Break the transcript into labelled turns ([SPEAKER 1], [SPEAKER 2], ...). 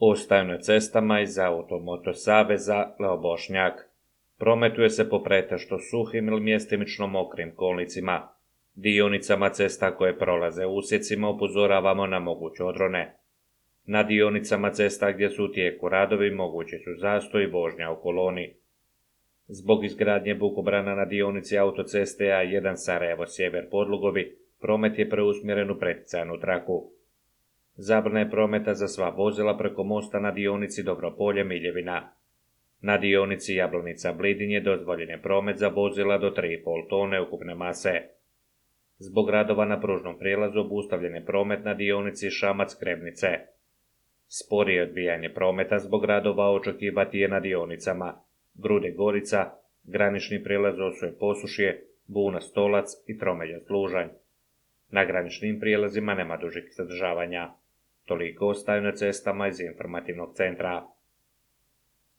[SPEAKER 1] Ostaju na cestama iz Automoto saveza Leo Bošnjak. Prometuje se po pretežno suhim ili mjestimično mokrim kolnicima. Dionicama cesta koje prolaze u usjecima upozoravamo na moguće odrone. Na dionicama cesta gdje su u tijeku radovi mogući su zastoj i vožnja u koloni. Zbog izgradnje bukobrana na dionici autoceste A1 Sarajevo sjever Podlugovi, promet je preusmjeren u preticajnu traku. Zabrana je prometa za sva vozila preko mosta na dionici Dobropolje Miljevina. Na dionici Jablanica Blidin je dozvoljen je promet za vozila do 3,5 tone ukupne mase. Zbog radova na pružnom prijelazu obustavljen je promet na dionici Šamac-Krebnice. Sporije odvijanje prometa zbog radova očekivati je na dionicama Grude-Gorica, granični prijelaz Osuje-Posušje, Buna-Stolac i Tromelja-Služanj. Na graničnim prijelazima nema dužih zadržavanja. Toliko ostaju na cestama iz informativnog centra.